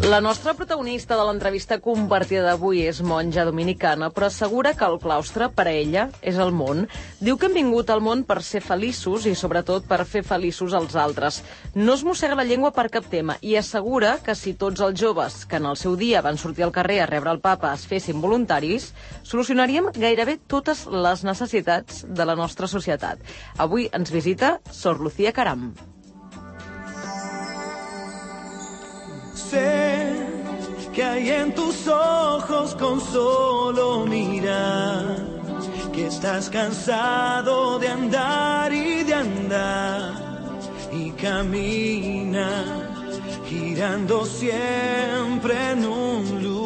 La nostra protagonista de l'entrevista compartida d'avui és monja dominicana, però assegura que el claustre, per a ella, és el món. Diu que hem vingut al món per ser feliços i, sobretot, per fer feliços als altres. No es mossega la llengua per cap tema i assegura que si tots els joves que en el seu dia van sortir al carrer a rebre el papa es fessin voluntaris, solucionaríem gairebé totes les necessitats de la nostra societat. Avui ens visita Sor Lucía Caram. Sé que hay en tus ojos con solo mirar, que estás cansado de andar y camina, girando siempre en un lugar.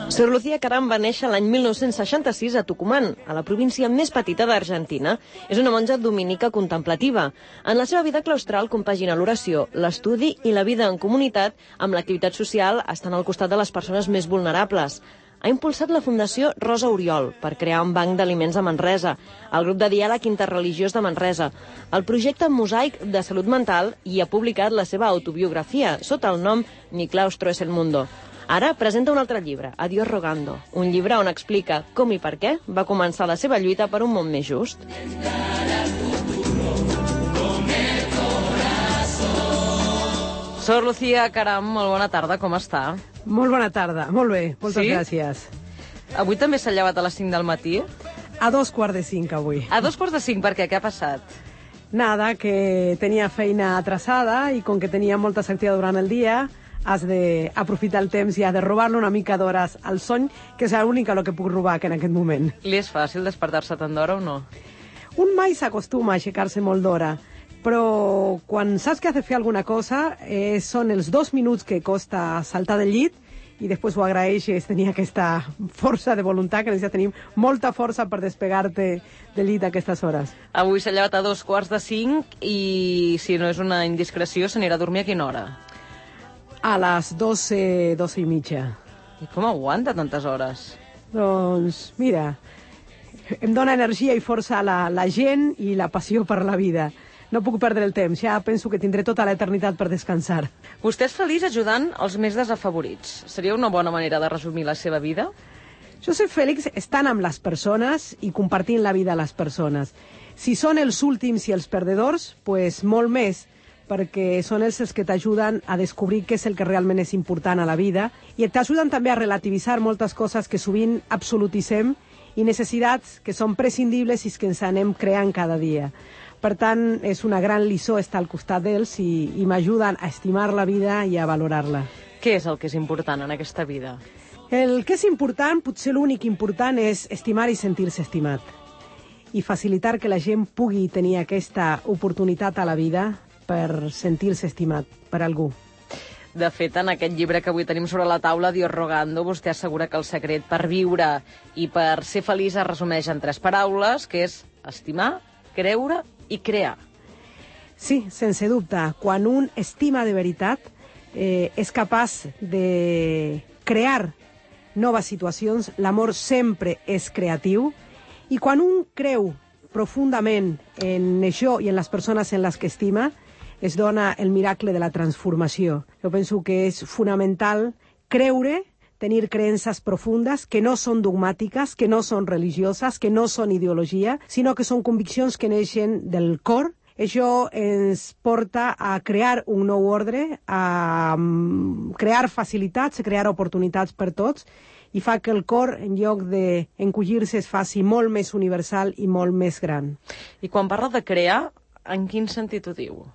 Sor Lucía Caram va néixer l'any 1966 a Tucumán, a la província més petita d'Argentina. És una monja dominica contemplativa. En la seva vida claustral compagina l'oració, l'estudi i la vida en comunitat amb l'activitat social, estant al costat de les persones més vulnerables. Ha impulsat la Fundació Rosa Oriol per crear un banc d'aliments a Manresa, el grup de diàleg interreligiós de Manresa, el projecte Mosaic de Salut Mental i ha publicat la seva autobiografia sota el nom Mi claustro es el mundo. Ara presenta un altre llibre, Adiós rogando, un llibre on explica com i per què va començar la seva lluita per un món més just. Sor Lucía Caram, molt bona tarda, com està? Molt bona tarda, molt bé, moltes gràcies. Avui també s'ha llevat a les 5 del matí? A 4:45 avui. A 4:45, per què? Què ha passat? Nada, que tenia feina atrasada i com que tenia moltes activitats durant el dia, has d'aprofitar el temps i has de robar-li una mica d'hores al son, que és l'única que puc robar en aquest moment. Li és fàcil despertar-se tant d'hora o no? Un mai s'acostuma a aixecar-se molt d'hora, però quan saps que has de fer alguna cosa, són els 2 minuts que costa saltar del llit i després ho agraeixes tenir aquesta força de voluntat, que necessites tenir molta força per despegar-te del llit a aquestes hores. Avui s'ha llevat a 4:45 i, si no és una indiscreció, s'anirà a dormir a quina hora? A les 12 i mitja. I com aguanta tantes hores? Doncs, mira, em dona energia i força la gent i la passió per la vida. No puc perdre el temps, ja penso que tindré tota l'eternitat per descansar. Vostè és feliç ajudant els més desafavorits. Seria una bona manera de resumir la seva vida? Jo soy feliç estant amb les persones i compartint la vida a les persones. Si són els últims i els perdedors, pues molt més, perquè són els que t'ajuden a descobrir què és el que realment és important a la vida i t'ajuden també a relativitzar moltes coses que sovint absolutitzem i necessitats que són prescindibles i que ens anem creant cada dia. Per tant, és una gran lliçó estar al costat d'ells i m'ajuden a estimar la vida i a valorar-la. Què és el que és important en aquesta vida? El que és important, potser l'únic important, és estimar i sentir-se estimat. I facilitar que la gent pugui tenir aquesta oportunitat a la vida per sentir-se estimat per algú. De fet, en aquest llibre que avui tenim sobre la taula, Dios rogando, vostè assegura que el secret per viure i per ser feliç es resumeix en 3 paraules, que és estimar, creure i crear. Sí, sense dubte. Quan un estima de veritat, és capaç de crear noves situacions. L'amor sempre és creatiu. I quan un creu profundament en això i en les persones en les que estima, es dona el miracle de la transformació. Jo penso que és fonamental creure, tenir creences profundes que no són dogmàtiques, que no són religioses, que no són ideologia, sinó que són conviccions que neixen del cor. Això ens porta a crear un nou ordre, a crear facilitats, a crear oportunitats per tots, i fa que el cor, en lloc d'encogir-se, es faci molt més universal i molt més gran. I quan parla de crear, en quin sentit ho diu?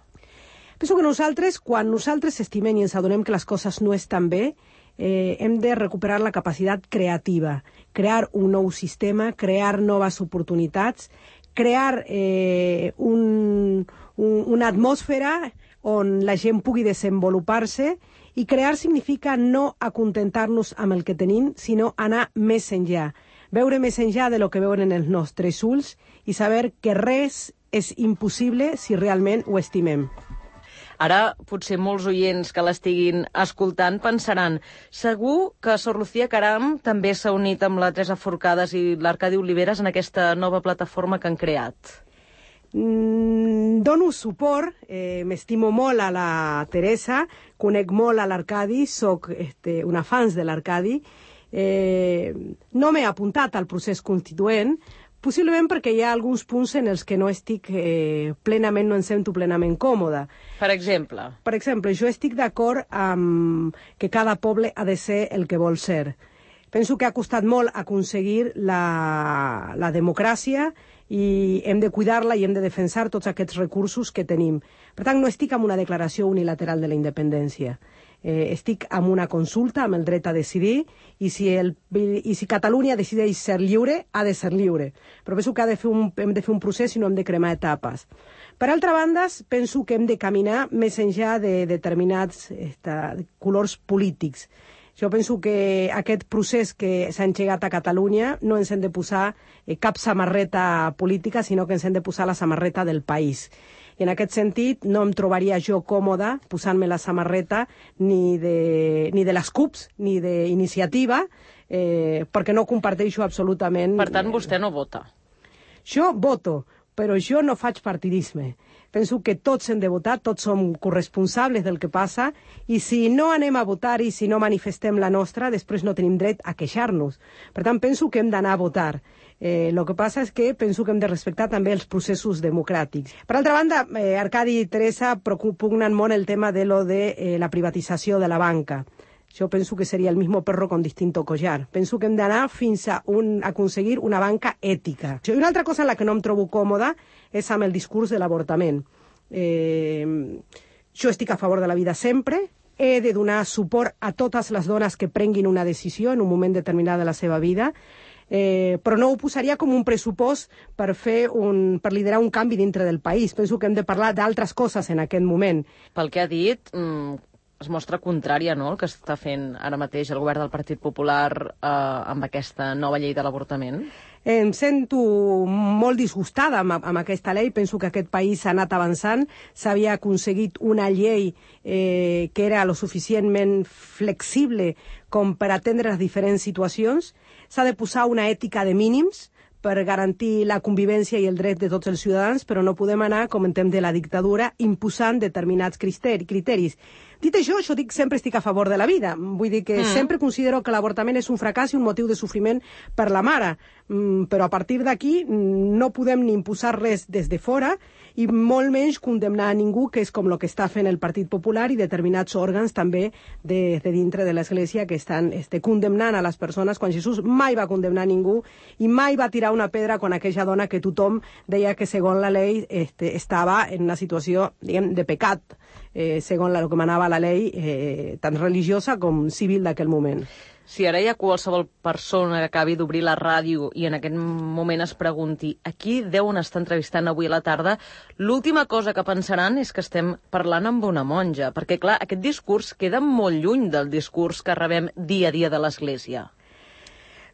Penso que nosaltres, quan nosaltres estimem i ens adonem que les coses no estan bé, hem de recuperar la capacitat creativa, crear un nou sistema, crear noves oportunitats, crear una atmosfera on la gent pugui desenvolupar-se, i crear significa no acontentar-nos amb el que tenim, sinó anar més enllà, veure més enllà de lo que veuen en els nostres ulls i saber que res és impossible si realment ho estimem. Ara, potser molts oients que l'estiguin escoltant pensaran segur que Sor Lucía Caram també s'ha unit amb la Teresa Forcades i l'Arcadi Oliveres en aquesta nova plataforma que han creat. Dono suport, m'estimo molt a la Teresa, conec molt a l'Arcadi, soc una fans de l'Arcadi. No m'he apuntat al procés constituent, possiblement perquè hi ha alguns punts en els que no estic plenament, no em sento plenament còmoda. Per exemple? Per exemple, jo estic d'acord amb que cada poble ha de ser el que vol ser. Penso que ha costat molt aconseguir la democràcia i hem de cuidar-la i hem de defensar tots aquests recursos que tenim. Per tant, no estic amb una declaració unilateral de la independència. Estic amb una consulta, amb el dret a decidir, i si Catalunya decideix ser lliure, ha de ser lliure. Però penso que hem de fer un procés i no hem de cremar etapes. Per altra banda, penso que hem de caminar més enllà de determinats colors polítics. Jo penso que aquest procés que s'ha engegat a Catalunya no ens hem de posar cap samarreta política, sinó que ens hem de posar la samarreta del país. I en aquest sentit no em trobaria jo còmoda posant-me la samarreta ni de les CUPs ni d'Iniciativa, perquè no comparteixo absolutament... Per tant, vostè no vota? Jo voto, però jo no faig partidisme. Penso que tots hem de votar, tots som corresponsables del que passa, i si no anem a votar i si no manifestem la nostra, després no tenim dret a queixar-nos. Per tant, penso que hem d'anar a votar. El que passa és que penso que hem de respectar també els processos democràtics. Per altra banda, Arcadi i Teresa pugnen molt el tema de la privatització de la banca. Jo penso que seria el mismo perro con distinto collar. Penso que hem d'anar fins a aconseguir una banca ètica. I una altra cosa en la que no em trobo còmoda és amb el discurs de l'avortament. Jo estic a favor de la vida sempre, he de donar suport a totes les dones que prenguin una decisió en un moment determinat de la seva vida, però no ho posaria com un pressupost per liderar un canvi dintre del país. Penso que hem de parlar d'altres coses en aquest moment. Pel que ha dit... es mostra contrària, no?, el que està fent ara mateix el govern del Partit Popular amb aquesta nova llei de l'avortament? Em sento molt disgustada amb aquesta llei. Penso que aquest país ha anat avançant. S'havia aconseguit una llei que era lo suficientment flexible com per atendre les diferents situacions. S'ha de posar una ètica de mínims per garantir la convivència i el dret de tots els ciutadans, però no podem anar, com en temps de la dictadura, imposant determinats criteris. Dit això, jo sempre estic a favor de la vida. Vull dir que sempre considero que l'avortament és un fracàs i un motiu de sofriment per la mare. Però a partir d'aquí no podem ni imposar res des de fora i molt menys condemnar a ningú, que és com el que està fent el Partit Popular i determinats òrgans també de dintre de l'Església que estan condemnant a les persones, quan Jesús mai va condemnar a ningú i mai va tirar una pedra quan aquella dona que tothom deia que segons la llei estava en una situació, diguem, de pecat, segons el que manava la llei tant religiosa com civil d'aquell moment. Si ara hi ha qualsevol persona que acabi d'obrir la ràdio i en aquest moment es pregunti a qui deuen estar entrevistant avui a la tarda, l'última cosa que pensaran és que estem parlant amb una monja, perquè, clar, aquest discurs queda molt lluny del discurs que rebem dia a dia de l'Església.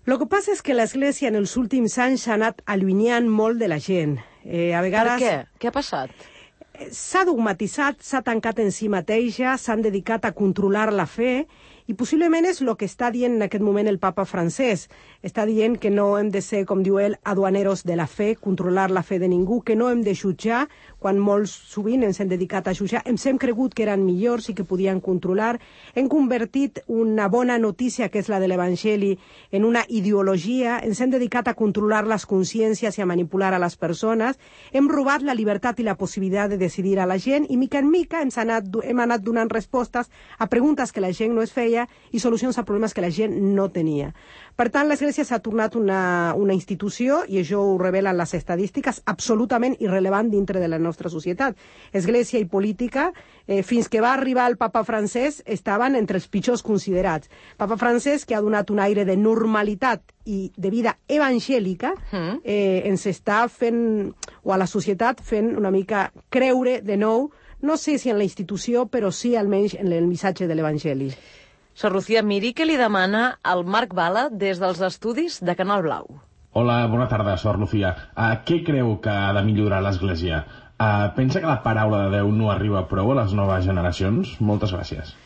El que passa és que l'Església en els últims anys s'ha anat allunyant molt de la gent. A vegades... Per què? Què ha passat? S'ha dogmatitzat, s'ha tancat en si mateixa, s'han dedicat a controlar la fe, i possiblement és el que està dient en aquest moment el papa francès. Està dient que no hem de ser, com diu ell, aduaneros de la fe, controlar la fe de ningú, que no hem de jutjar, quan molts sovint ens hem dedicat a jutjar. Ens hem cregut que eren millors i que podien controlar. Hem convertit una bona notícia, que és la de l'Evangeli, en una ideologia. Ens hem dedicat a controlar les consciències i a manipular a les persones. Hem robat la llibertat i la possibilitat de decidir a la gent i mica en mica hem anat donant respostes a preguntes que la gent no es feia i solucions a problemes que la gent no tenia. Per tant, l'Església s'ha tornat una institució, i això ho revelen les estadístiques, absolutament irrellevant dintre de la nostra societat. Església i política, fins que va arribar el papa francès, estaven entre els pitjors considerats. Papa francès, que ha donat un aire de normalitat i de vida evangèlica, ens està fent, o a la societat, fent una mica creure de nou, no sé si en la institució, però sí almenys en el missatge de l'Evangeli. Sor Lucía, miri què li demana el Marc Bala des dels estudis de Canal Blau. Hola, bona tarda, Sor Lucía. Què creu que ha de millorar l'Església? Pensa que la paraula de Déu no arriba prou a les noves generacions? Moltes gràcies.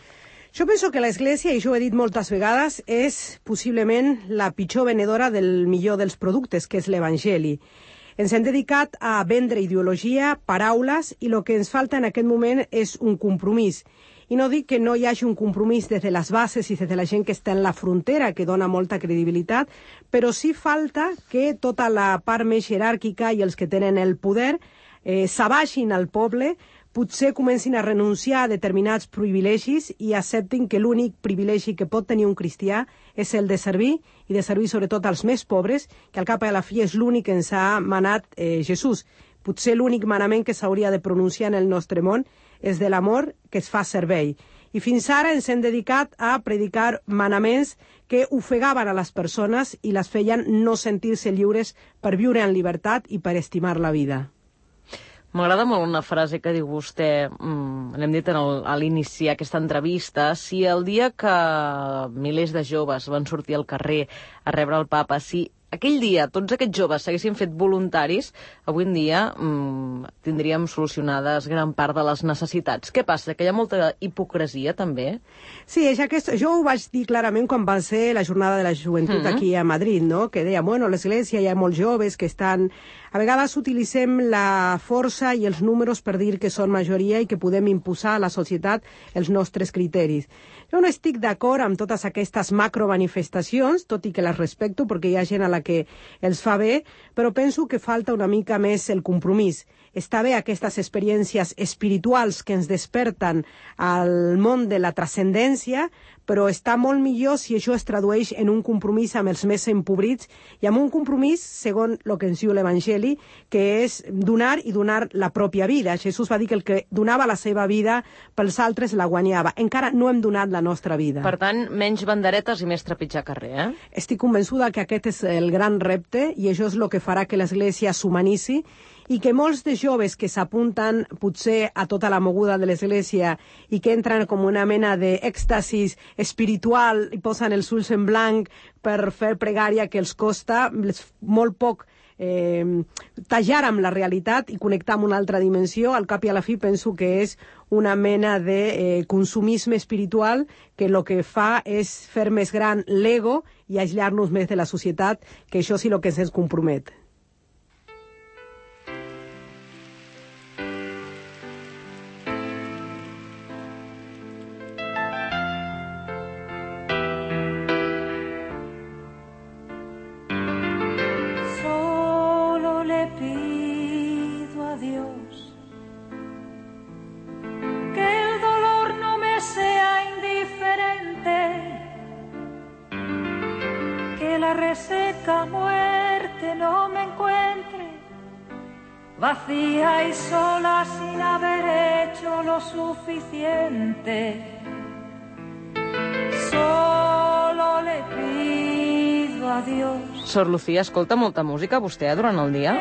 Jo penso que l'Església, i jo ho he dit moltes vegades, és possiblement la pitjor venedora del millor dels productes, que és l'Evangeli. Ens hem dedicat a vendre ideologia, paraules, i el que ens falta en aquest moment és un compromís. I no dic que no hi hagi un compromís des de les bases i des de la gent que està en la frontera, que dona molta credibilitat, però sí falta que tota la part més jeràrquica i els que tenen el poder s'abaixin al poble, potser comencin a renunciar a determinats privilegis i acceptin que l'únic privilegi que pot tenir un cristià és el de servir, i de servir sobretot als més pobres, que al cap i a la fi és l'únic que ens ha manat Jesús. Potser l'únic manament que s'hauria de pronunciar en el nostre món és de l'amor que es fa servei. I fins ara ens hem dedicat a predicar manaments que ofegaven a les persones i les feien no sentir-se lliures per viure en llibertat i per estimar la vida. M'agrada molt una frase que diu vostè, l'hem dit a l'inici aquesta entrevista, si el dia que milers de joves van sortir al carrer a rebre el papa, si aquell dia tots aquests joves s'haguessin fet voluntaris, avui en dia tindríem solucionades gran part de les necessitats. Què passa? Que hi ha molta hipocresia, també? Sí, és aquest. Jo ho vaig dir clarament quan va ser la jornada de la joventut aquí a Madrid, no? Que deia, bueno, l'Església hi ha molts joves que estan... A vegades utilitzem la força i els números per dir que són majoria i que podem imposar a la societat els nostres criteris. Jo no estic d'acord amb totes aquestes macromanifestacions, tot i que les respecto perquè hi ha gent a la que els fa bé, però penso que falta una mica més el compromís. Està bé aquestes experiències espirituals que ens desperten al món de la transcendència, però està molt millor si això es tradueix en un compromís amb els més empobrits i amb un compromís, segons el que ens diu l'Evangeli, que és donar i donar la pròpia vida. Jesús va dir que el que donava la seva vida pels altres la guanyava. Encara no hem donat la nostra vida. Per tant, menys banderetes i més trepitjar carrer, eh? Estic convençuda que aquest és el gran repte i això és el que farà que l'Església s'humanitzi i que molts de joves que s'apunten potser a tota la moguda de l'Església i que entren com una mena d'èxtasis espiritual i posen els ulls en blanc per fer pregària que els costa molt poc tallar amb la realitat i connectar amb una altra dimensió, al cap i a la fi penso que és una mena de consumisme espiritual que el que fa és fer més gran l'ego i aïllar-nos més de la societat, que això sí el que ens compromet. Reseca muerte no me encuentre vacía y sola sin haber hecho lo suficiente. Solo le pido a Dios. Sor Lucía, escolta molta música vostè durant el dia?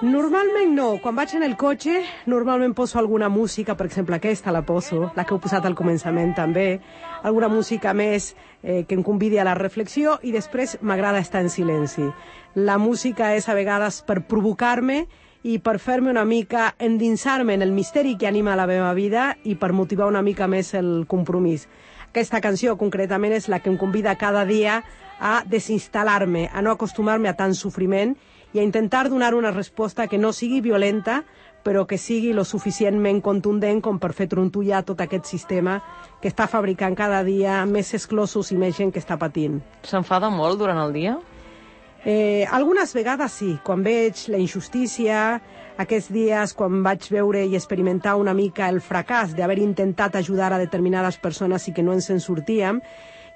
Normalment no. Quan vaig en el cotxe, normalment poso alguna música, per exemple aquesta la poso, la que heu posat al començament també, alguna música més que em convidi a la reflexió i després m'agrada estar en silenci. La música és a vegades per provocar-me i per fer-me una mica endinsar-me en el misteri que anima la meva vida i per motivar una mica més el compromís. Aquesta canció concretament és la que em convida cada dia a desinstal·lar-me, a no acostumar-me a tant sofriment i a intentar donar una resposta que no sigui violenta, però que sigui lo suficientment contundent com per fer trontollar tot aquest sistema que està fabricant cada dia més exclosos i més gent que està patint. S'enfada molt durant el dia? Algunes vegades sí, quan veig la injustícia, aquests dies quan vaig veure i experimentar una mica el fracàs d'haver intentat ajudar a determinades persones i que no ens en sortíem,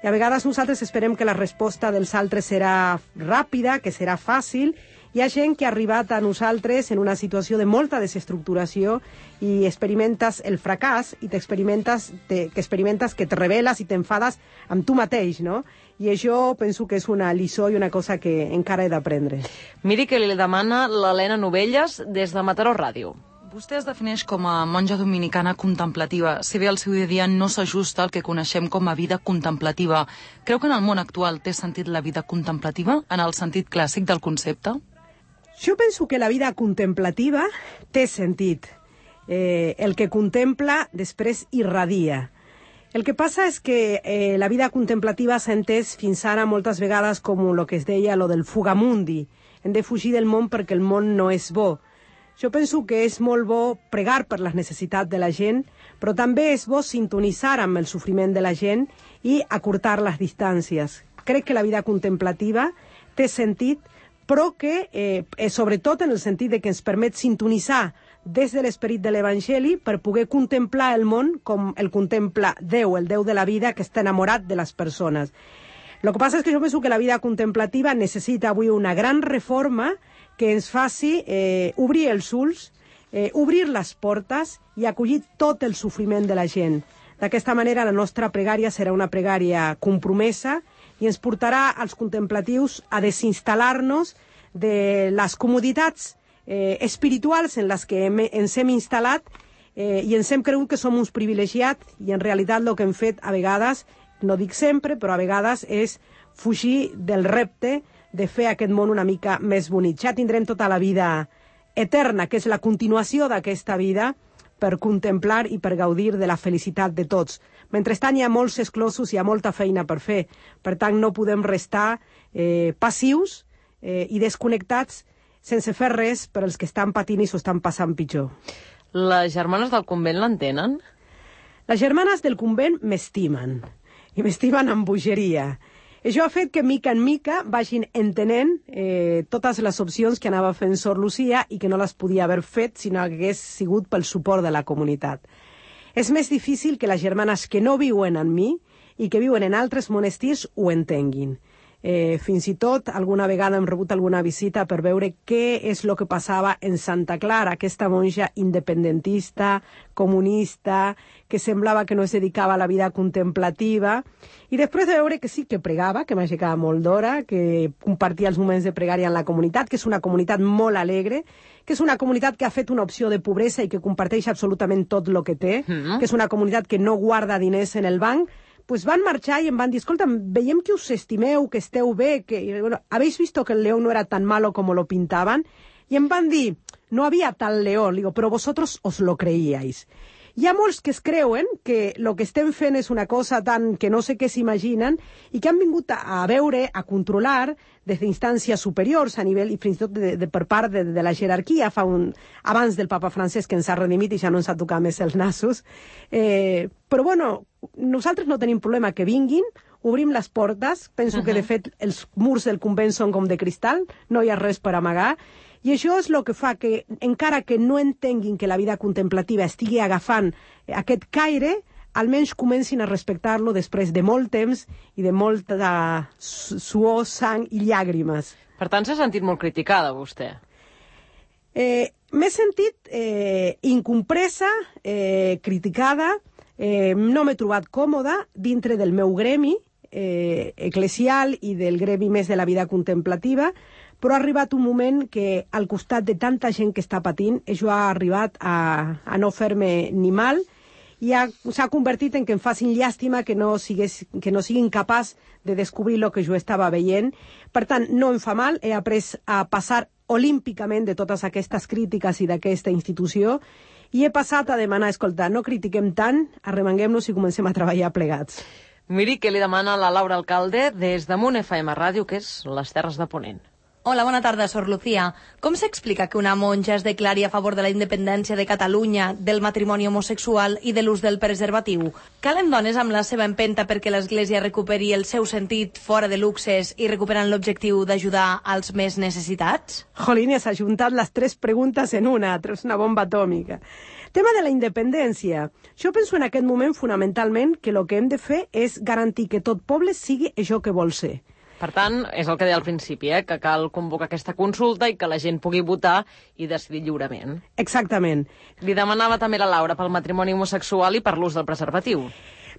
i a vegades nosaltres esperem que la resposta dels altres serà ràpida, que serà fàcil. Hi ha gent que ha arribat a nosaltres en una situació de molta desestructuració i experimentes el fracàs i experimentes que te reveles i t'enfades amb tu mateix, no? I això penso que és una lliçó i una cosa que encara he d'aprendre. Miri que li demana l'Helena Novelles des de Mataró Ràdio. Vostè es defineix com a monja dominicana contemplativa. Si bé el seu dia a dia no s'ajusta al que coneixem com a vida contemplativa, creu que en el món actual té sentit la vida contemplativa, en el sentit clàssic del concepte? Jo penso que la vida contemplativa té sentit. El que contempla després irradia. El que passa és que la vida contemplativa s'ha entès fins ara moltes vegades com el que es deia lo del fugamundi. Hem de fugir del món perquè el món no és bo. Jo penso que és molt bo pregar per les necessitats de la gent, però també és bo sintonitzar amb el sofriment de la gent i acurtar les distàncies. Crec que la vida contemplativa té sentit, però que, sobretot en el sentit de que ens permet sintonitzar des de l'esperit de l'Evangeli per poder contemplar el món com el contempla Déu, el Déu de la vida que està enamorat de les persones. El que passa és que jo penso que la vida contemplativa necessita avui una gran reforma que ens faci obrir els ulls, obrir les portes i acollir tot el sofriment de la gent. D'aquesta manera la nostra pregària serà una pregària compromesa i ens portarà als contemplatius a desinstal·lar-nos de les comoditats espirituals en les que ens hem instal·lat i ens hem cregut que som uns privilegiats i en realitat el que hem fet a vegades, no dic sempre, però a vegades és fugir del repte de fer aquest món una mica més bonic. Ja tindrem tota la vida eterna, que és la continuació d'aquesta vida, per contemplar i per gaudir de la felicitat de tots. Mentrestant hi ha molts exclosos, hi ha molta feina per fer. Per tant, no podem restar passius i desconnectats sense fer res per als que estan patint i s'ho estan passant pitjor. Les germanes del convent l'entenen? Les germanes del convent m'estimen, i m'estimen amb bogeria. Això ha fet que, mica en mica, vagin entenent totes les opcions que anava fent Sor Lucía i que no les podia haver fet si no hagués sigut pel suport de la comunitat. És més difícil que les germanes que no viuen en mi i que viuen en altres monestirs ho entenguin. Fins i tot alguna vegada hem rebut alguna visita per veure què és el que passava en Santa Clara, aquesta monja independentista, comunista, que semblava que no es dedicava a la vida contemplativa, i després de veure que sí que pregava, que m'aixecava molt d'hora, que compartia els moments de pregària en la comunitat, que és una comunitat molt alegre, que és una comunitat que ha fet una opció de pobresa i que comparteix absolutament tot el que té, que és una comunitat que no guarda diners en el banc, pues van marxar i em van dir, escolta, veiem que us estimeu, que esteu bé, que bueno, habéis visto que el león no era tan malo como lo pintaban, i em van dir, no había tal león, digo, però vosotros os lo creíais. Hi ha molts que es creuen que el que estem fent és una cosa tan que no sé què s'imaginen i que han vingut a veure, a controlar des d'instàncies superiors a nivell i fins i tot per part de la jerarquia abans del papa Francesc que ens ha redimit i ja no ens ha tocat més els nassos. Però bueno, nosaltres no tenim problema que vinguin, obrim les portes, penso que de fet els murs del convent són com de cristal, no hi ha res per amagar. I això és el que fa que, encara que no entenguin que la vida contemplativa estigui agafant aquest caire, almenys comencin a respectar-lo després de molt temps i de molta suor, sang i llàgrimes. Per tant, s'ha sentit molt criticada, vostè. M'he sentit incompresa, criticada, no m'he trobat còmoda dintre del meu gremi eclesial i del gremi més de la vida contemplativa, però ha arribat un moment que al costat de tanta gent que està patint, això ha arribat a no fer-me ni mal i s'ha convertit en que em facin llàstima que no siguin capaç de descobrir el que jo estava veient. Per tant, no em fa mal, he après a passar olímpicament de totes aquestes crítiques i d'aquesta institució i he passat a demanar, escolta, no critiquem tant, arremanguem-nos i comencem a treballar plegats. Miri què li demana la Laura Alcalde des de Munt FM Ràdio, que és les Terres de Ponent. Hola, bona tarda, Sor Lucía. Com s'explica que una monja es declari a favor de la independència de Catalunya, del matrimoni homosexual i de l'ús del preservatiu? Calen dones amb la seva empenta perquè l'Església recuperi el seu sentit fora de luxes i recuperant l'objectiu d'ajudar als més necessitats? Jolín, has ajuntat les 3 preguntes en una, és una bomba atòmica. Tema de la independència. Jo penso en aquest moment fonamentalment que el que hem de fer és garantir que tot poble sigui això que vol ser. Per tant, és el que deia al principi, que cal convocar aquesta consulta i que la gent pugui votar i decidir lliurement. Exactament. Li demanava també la Laura pel matrimoni homosexual i per l'ús del preservatiu.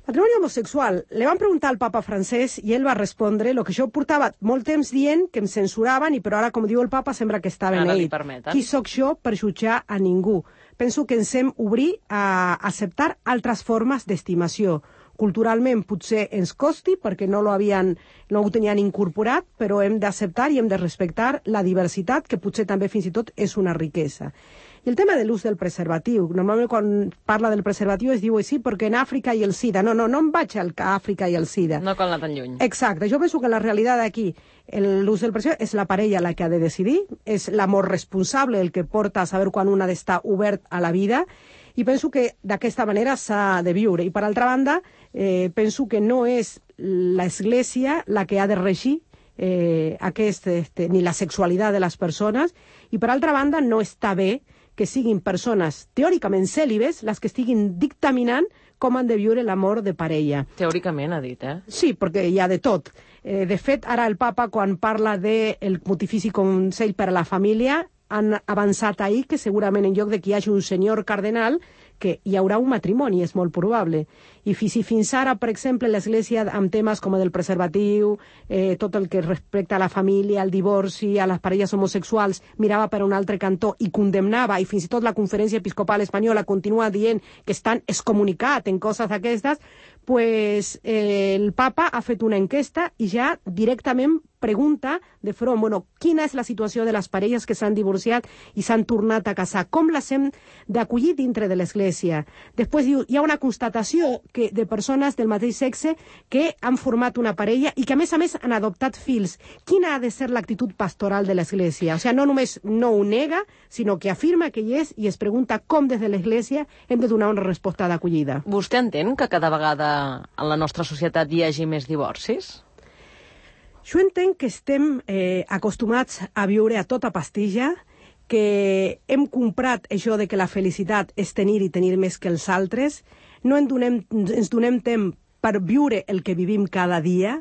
Matrimoni homosexual. Le van preguntar al papa francès i ell va respondre el que jo portava molt temps dient que em censuraven i però ara, com diu el papa, sembla que està beneït. Qui sóc jo per jutjar a ningú? Penso que ens hem obrir a acceptar altres formes d'estimació. Culturalment potser ens costi perquè no ho tenien incorporat, però hem d'acceptar i hem de respectar la diversitat, que potser també fins i tot és una riquesa. I el tema de l'ús del preservatiu. Normalment quan parla del preservatiu es diu sí, perquè en Àfrica i el SIDA. No em vaig a Àfrica i el SIDA. No cal anar tan lluny. Exacte. Jo penso que la realitat aquí, l'ús del preservatiu, és la parella la que ha de decidir, és l'amor responsable el que porta a saber quan un ha d'estar obert a la vida, i penso que d'aquesta manera s'ha de viure. I per altra banda, penso que no és l'Església la que ha de regir ni la sexualitat de les persones, i per altra banda no està bé que siguin persones teòricament cèlibes les que estiguin dictaminant com han de viure l'amor de parella. Teòricament, ha dit, Sí, perquè hi ha de tot. De fet, ara el papa, quan parla del Pontifici Consell per a la Família, han avançat ahir que segurament en lloc de que hi hagi un senyor cardenal, que hi haurà un matrimoni, és molt probable. I si fins ara, per exemple, l'Església, amb temes com el del preservatiu, tot el que respecta a la família, al divorci, a les parelles homosexuals, mirava per un altre cantó i condemnava, i fins i tot la Conferència Episcopal Espanyola continua dient que estan excomunicats en coses d'aquestes, pues el papa ha fet una enquesta i ja directament pregunta de front, quina és la situació de les parelles que s'han divorciat i s'han tornat a casar? Com les hem d'acollir dintre de l'Església? Després diu, hi ha una constatació de persones del mateix sexe que han format una parella i que a més han adoptat fills. Quina ha de ser l'actitud pastoral de l'Església? O sigui, no només no ho nega, sinó que afirma que hi és i es pregunta com des de l'Església hem de donar una resposta d'acollida. Vostè entén que cada vegada en la nostra societat hi hagi més divorcis? Jo entenc que estem acostumats a viure a tota pastilla, que hem comprat això de que la felicitat és tenir i tenir més que els altres, no ens donem temps per viure el que vivim cada dia,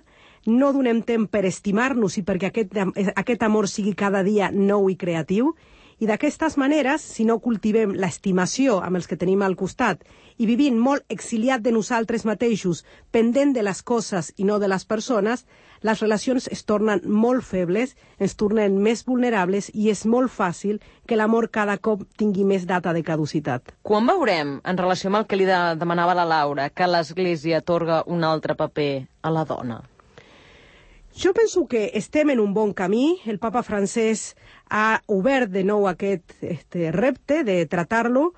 no donem temps per estimar-nos i perquè aquest amor sigui cada dia nou i creatiu, i d'aquestes maneres, si no cultivem l'estimació amb els que tenim al costat i vivint molt exiliat de nosaltres mateixos, pendent de les coses i no de les persones, les relacions es tornen molt febles, ens tornen més vulnerables i és molt fàcil que l'amor cada cop tingui més data de caducitat. Quan veurem, en relació amb el que li demanava la Laura, que l'Església atorga un altre paper a la dona? Jo penso que estem en un bon camí. El papa francès ha obert de nou aquest repte de tractar-lo.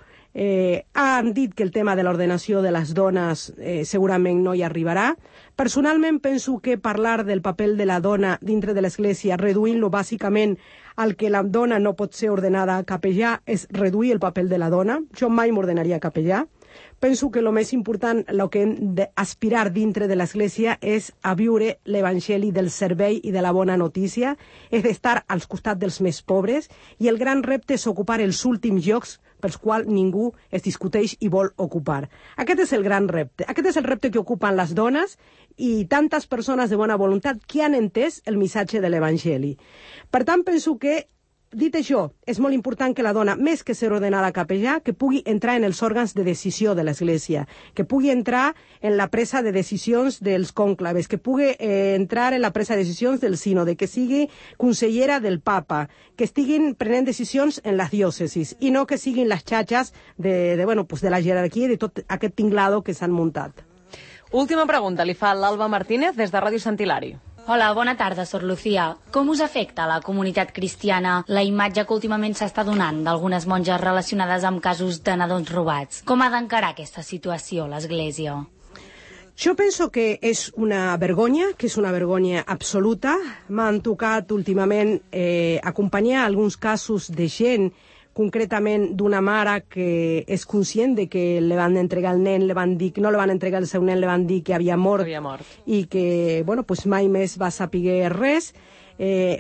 Han dit que el tema de l'ordenació de les dones segurament no hi arribarà. Personalment penso que parlar del paper de la dona dintre de l'Església, reduint-lo bàsicament al que la dona no pot ser ordenada a capellà, és reduir el paper de la dona. Jo mai m'ordenaria capellà. Penso que el més important, el que hem d'aspirar dintre de l'Església és a viure l'Evangeli del servei i de la bona notícia, és d'estar als costats dels més pobres, i el gran repte és ocupar els últims llocs pels quals ningú es discuteix i vol ocupar. Aquest és el gran repte. Aquest és el repte que ocupen les dones i tantes persones de bona voluntat que han entès el missatge de l'Evangeli. Per tant, penso que dit això, és molt important que la dona, més que ser ordenada capellà, que pugui entrar en els òrgans de decisió de l'Església, que pugui entrar en la presa de decisions dels cònclaves, que pugui entrar en la presa de decisions del sínode, que sigui consellera del papa, que estiguin prenent decisions en les diòcesis, i no que siguin les xatxes de la jerarquia i de tot aquest tinglado que s'han muntat. Última pregunta, li fa l'Alba Martínez des de Ràdio Sant Hilari. Hola, bona tarda, Sor Lucía. Com us afecta a la comunitat cristiana la imatge que últimament s'està donant d'algunes monges relacionades amb casos de nadons robats? Com ha d'encarar aquesta situació l'Església? Jo penso que és una vergonya, absoluta. M'han tocat últimament acompanyar alguns casos de gent, concretament d'una mare que és conscient de que li van entregar el nen, no li van entregar el seu nen, li van dir que havia mort. I que mai més va saber res.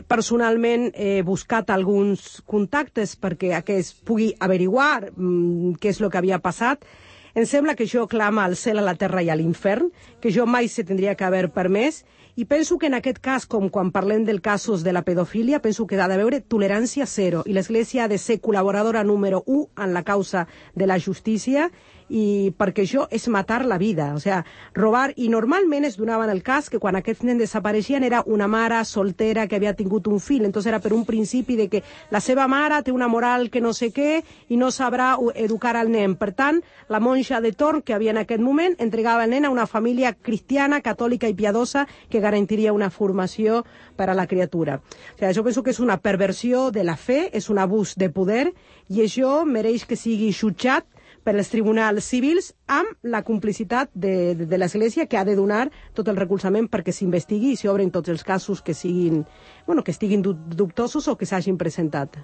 Personalment he buscat alguns contactes perquè aquest pugui averiguar què és el que havia passat. Em sembla que això clama al cel, a la terra i a l'infern, que jo mai se tindria que haver permès, i penso que en aquest cas, com quan parlem dels casos de la pedofília, penso que ha d'haver tolerància zero, i l'Església ha de ser col·laboradora número 1 en la causa de la justícia, i perquè això és matar la vida, o sea, robar, i normalment es donaven el cas que quan aquests nens desapareixien era una mare soltera que havia tingut un fill, entonces era per un principi de que la seva mare té una moral que no sé què i no sabrà educar al nen. Per tant, la monja de torn que havia en aquest moment entregava el nen a una família cristiana, catòlica i piadosa que garantiria una formació per a la criatura. O sigui, jo penso que és una perversió de la fe, és un abús de poder i això mereix que sigui jutjat per als tribunals civils amb la complicitat de l'Església, que ha de donar tot el recolzament perquè s'investigui i s'obren tots els casos que siguin, bueno, que estiguin dubtosos o que s'hagin presentat.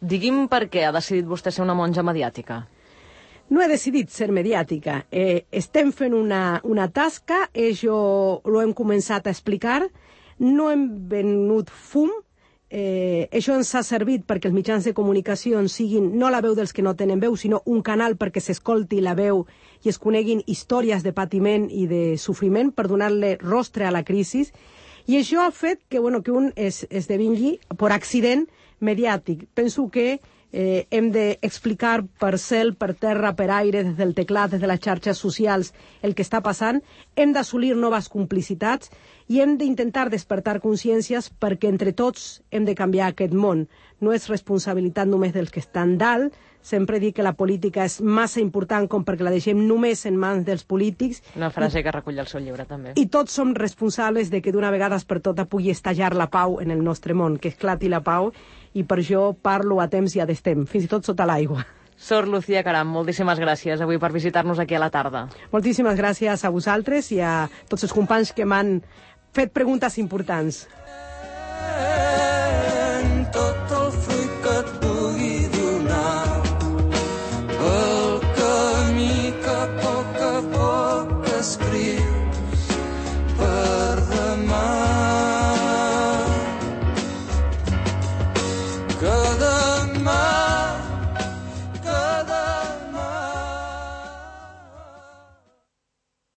Digui'm per què ha decidit vostè ser una monja mediàtica. No he decidit ser mediàtica. Estem fent una tasca, això ho hem començat a explicar, no hem venut fum, això ens ha servit perquè els mitjans de comunicació siguin no la veu dels que no tenen veu, sinó un canal perquè s'escolti la veu i es coneguin històries de patiment i de sofriment per donar-li rostre a la crisi. I això ha fet que, bueno, que un esdevingui per accident mediàtic. Penso que hem d'explicar per cel, per terra, per aire, des del teclat, des de les xarxes socials, el que està passant. Hem d'assolir noves complicitats i hem d'intentar despertar consciències perquè entre tots hem de canviar aquest món. No és responsabilitat només dels que estan dalt. Sempre dic que la política és massa important com perquè la deixem només en mans dels polítics. Una frase que recull el seu llibre, també. I tots som responsables de que d'una vegada per tota pugui estallar la pau en el nostre món, que esclati la pau, i per això parlo a temps i a destem, fins i tot sota l'aigua. Sor Lucía Caram, moltíssimes gràcies avui per visitar-nos aquí a la tarda. Moltíssimes gràcies a vosaltres i a tots els companys que m'han fet preguntes importants.